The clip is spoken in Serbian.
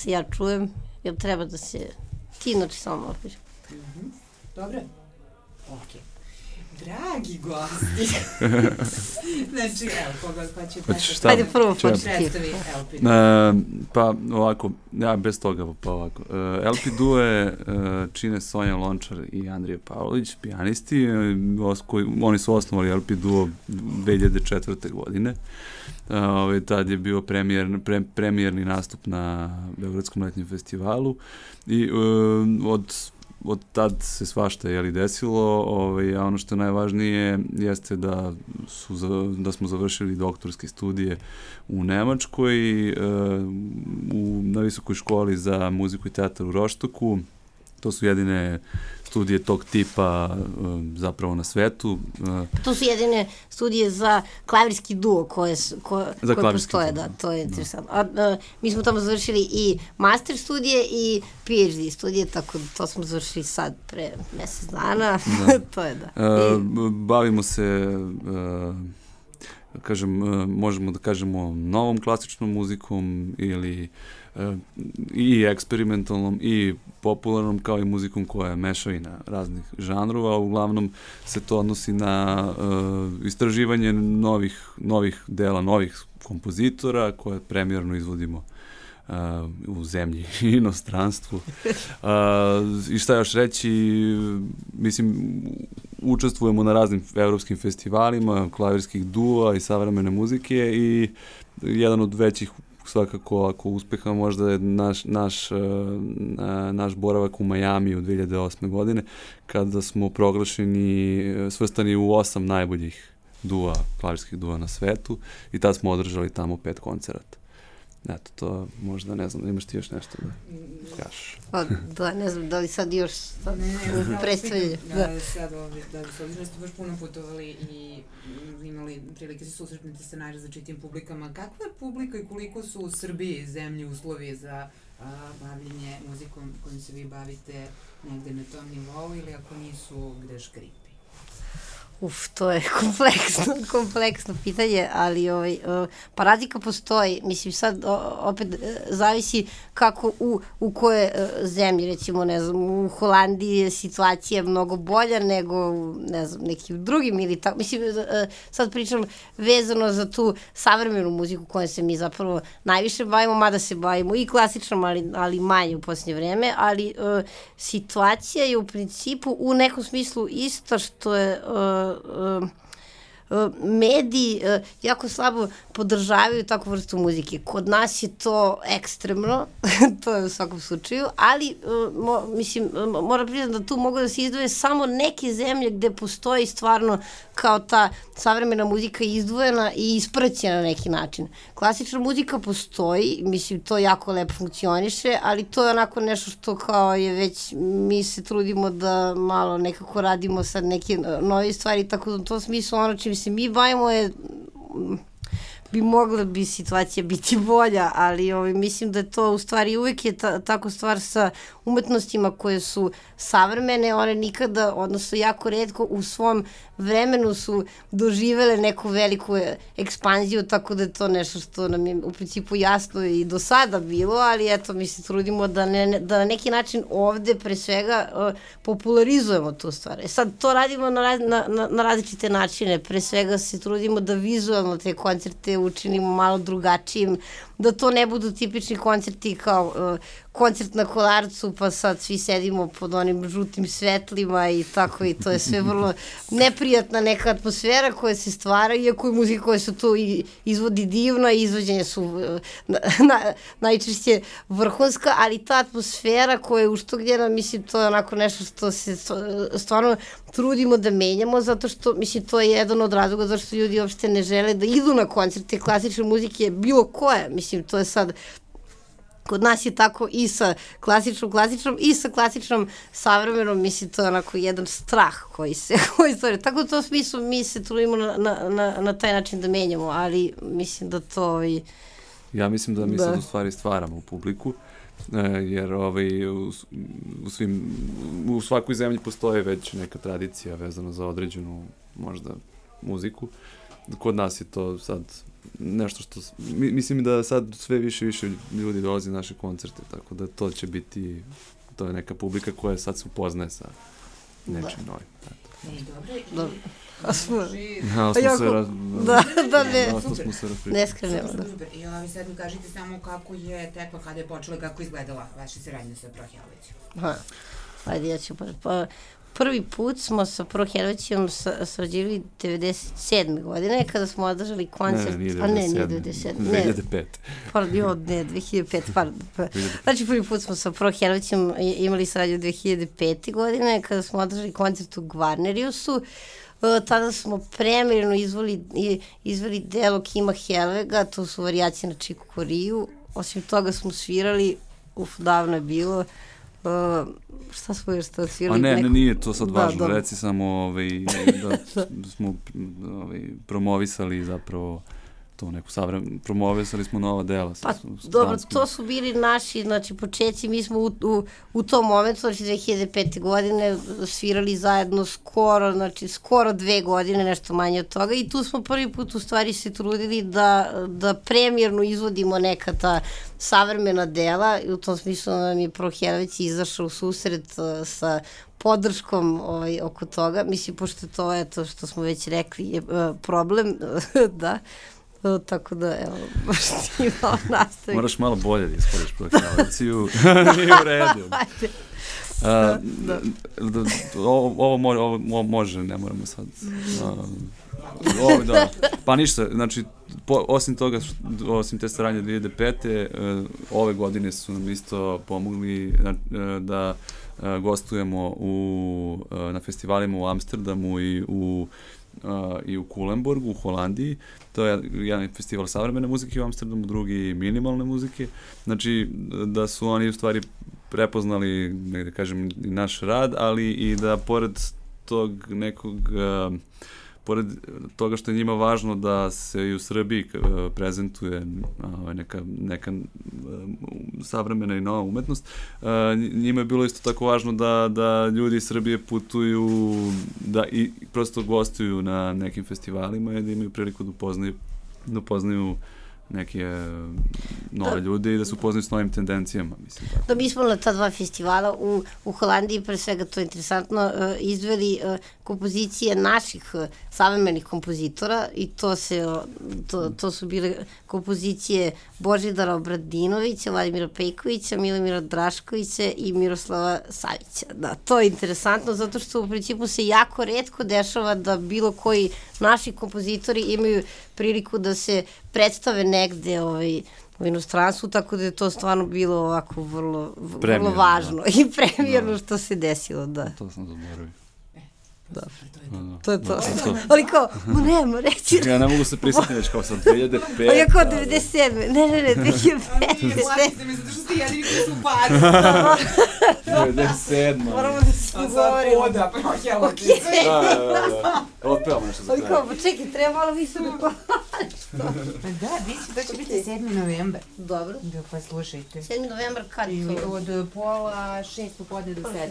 se ja čujem, jer treba da se ti inače samo malo piše. Dobre? Okej. Dragi gosti. Znači, evo, koga pa će Šta? Ajde prvo predstavi LP. Pa ovako, ja bez toga pa ovako. LP Due čine Sonja Lončar i Andrija Pavlović, pijanisti. Oni su osnovali LP Duo 2004. godine. Tad je bio premijerni nastup na Beogradskom letnjem festivalu i od tad se svašta desilo, a ono što je najvažnije jeste da smo završili doktorske studije u Nemačkoj, na Visokoj školi za muziku i teatar u Roštoku. To su jedine studije tog tipa zapravo na svetu. To su jedine studije za klavirski duo koje postoje, da, to je interesantno. Mi smo tamo završili i master studije i PhD studije, tako da to smo završili sad pre mesec dana. To je da. Bavimo se, možemo da kažemo novom klasičnom muzikom ili i eksperimentalnom i popularnom, kao i muzikom koja je mešavina raznih žanrova. Uglavnom se to odnosi na istraživanje novih dela, novih kompozitora koje premijerno izvodimo u zemlji i inostranstvu. I šta još reći, mislim, učestvujemo na raznim evropskim festivalima klavirskih duo i savremene muzike i jedan od većih svakako, ako uspeha, možda je naš boravak u Majamiju 2008. godine, kada smo svrstani u 8 najboljih klavirskih dua na svetu i tad smo održali tamo 5 koncerata. Eto, to možda, ne znam, imaš ti još nešto da kažeš? Da, ne znam, da li sad još predstavljaju? Sad ovdje, da s obzirom da ste baš puno putovali i imali prilike se susretniti sa najrazličitijim publikama, kakva je publika i koliko su u Srbiji zemlji uslovi za bavljenje muzikom kojim se vi bavite negde na tom nivou ili ako nisu, gde škripi? To je kompleksno pitanje, ali pa razlika postoji. Mislim, sad opet zavisi kako u koje zemlji, recimo, ne znam, u Holandiji je situacija mnogo bolja nego, ne znam, nekim drugim ili tako. Mislim, sad pričam vezano za tu savremenu muziku kojom se mi zapravo najviše bavimo, mada se bavimo i klasičnom, ali manje u posljednje vreme, ali situacija je u principu u nekom smislu ista, što je mediji jako slabo podržavaju takvu vrstu muzike. Kod nas je to ekstremno, to je u svakom slučaju, ali mislim, moram priznati da tu mogu da se izdvoje samo neke zemlje gde postoji stvarno kao ta savremena muzika izdvojena i ispraćena na neki način. Klasična muzika postoji, mislim, to jako lepo funkcioniše, ali to je onako nešto što kao je već, mi se trudimo da malo nekako radimo sad neke nove stvari, tako da u tom smislu ono čim se mi bavimo je, bi mogla bi situacija biti bolja, ali mislim da je to u stvari uvek je tako stvar sa umetnostima koje su savremene, one nikada, odnosno jako retko u svom vremenu su doživele neku veliku ekspanziju, tako da je to nešto što nam je u principu jasno i do sada bilo, ali eto, mi se trudimo da na neki način ovde pre svega popularizujemo tu stvar. Sad to radimo na različite načine, pre svega se trudimo da vizualno te koncerte učinimo malo drugačijim, da to ne budu tipični koncerti kao koncert na Kolarcu, pa sad svi sedimo pod onim žutim svetlima i tako, i to je sve vrlo neprijatna neka atmosfera koja se stvara, iako je muzika koja se tu izvodi divna, izvođenja su najčešće vrhunska, ali ta atmosfera koja je uštogljena, mislim, to je onako nešto što se stvarno trudimo da menjamo, zato što, mislim, to je jedan od razloga zašto ljudi uopšte ne žele da idu na koncerte klasične muzike, bilo koje, mislim, to je sad, kod nas je tako i sa klasičnom i sa klasičnom savremenom, mislim, to je onako jedan strah koji stvore. Tako u tom smislu mi se trudimo na taj način da menjamo, ali mislim da to... Ja mislim da mi sad u stvari stvaramo publiku, jer u svakoj zemlji postoji već neka tradicija vezana za određenu možda muziku kod nas je to sad nešto što, mislim da sad sve više ljudi dolazi na naše koncerte, tako da to će biti, to je neka publika koja sad se upoznaje sa nečim novim. Dobro. Ne skrenemo. I sad mi kažete samo kako je tekla, kada je počela, kako je izgledala vaša saradnja sa Prohjelovićem. Ajde, ja ću prvi put smo sa Prohjelovićem sarađivali 97. godine, kada smo održali koncert... Nije 97. 2005. Pardon, ne, 2005, pardon. Znači, prvi put smo sa Prohjelovićem imali saradnju 2005. godine, kada smo održali koncert u Gvarneriusu. Tada smo premirno izveli delo Kima Helvega, to su varijacije na Chiku Koriju. Osim toga smo svirali, davno je bilo, šta smo još tada svirali? Nije to sad važno, reci samo da smo promovisali zapravo to neku promovisali smo nova dela. Pa dobro, to su bili naši, znači, početci, mi smo u tom momentu, znači 2005. godine svirali zajedno skoro 2 godine, nešto manje od toga, i tu smo prvi put u stvari se trudili da premijerno izvodimo neka ta savremena dela, i u tom smislu nam je Prohjelović izašao u susret sa podrškom oko toga, mislim, pošto to je to što smo već rekli je problem, da. Tako da, evo, baš ti malo nastavim. Moraš malo bolje da iskoriš Prohjeloviciju. Nije u redu. Ovo može, ne moramo sad. Pa ništa, znači, osim te saradnje 2005. Ove godine su nam isto pomogli da gostujemo na festivalima u Amsterdamu i u Kulemborgu, u Holandiji. To je jedan festival savremene muzike u Amsterdamu, drugi minimalne muzike. Znači, da su oni u stvari prepoznali, da kažem, i naš rad, ali i da pored tog nekog, pored toga što je njima važno da se i u Srbiji prezentuje neka savremena i nova umetnost, njima je bilo isto tako važno da ljudi iz Srbije putuju, da i prosto gostuju na nekim festivalima i da imaju priliku da upoznaju neke nove ljude i da se upoznaju s novim tendencijama, mislim. Da, mi smo na ta 2 festivala u Holandiji, pre svega to je interesantno, izveli kompozicije naših savremenih kompozitora, i to su bile kompozicije Božidara Obradinovića, Vladimira Pejkovića, Milomira Draškovića i Miroslava Savića. Da, to je interesantno, zato što u principu se jako retko dešava da bilo koji naši kompozitori imaju priliku da se predstave negde u inostranstvu, tako da je to stvarno bilo ovako vrlo važno i premijerno što se desilo, da. To sam zaboravio. Dobro, to je to. Ali kao, nemo reći. Ja ne mogu se prisjetiti već kao sad 2005. A ja kao 97. Ne, 2005. Plaćite mi zato što ste jedini koji su pari. 97. Moramo da se govorimo. A sad poda, Prohjelović. Otpevamo nešto za kraj. Ali kao, čekaj, treba malo više da Pa da, to će biti 7. novembar. Dobro. Da, pa slušajte. 7. novembar kad? Od 5:30 popodne do 7.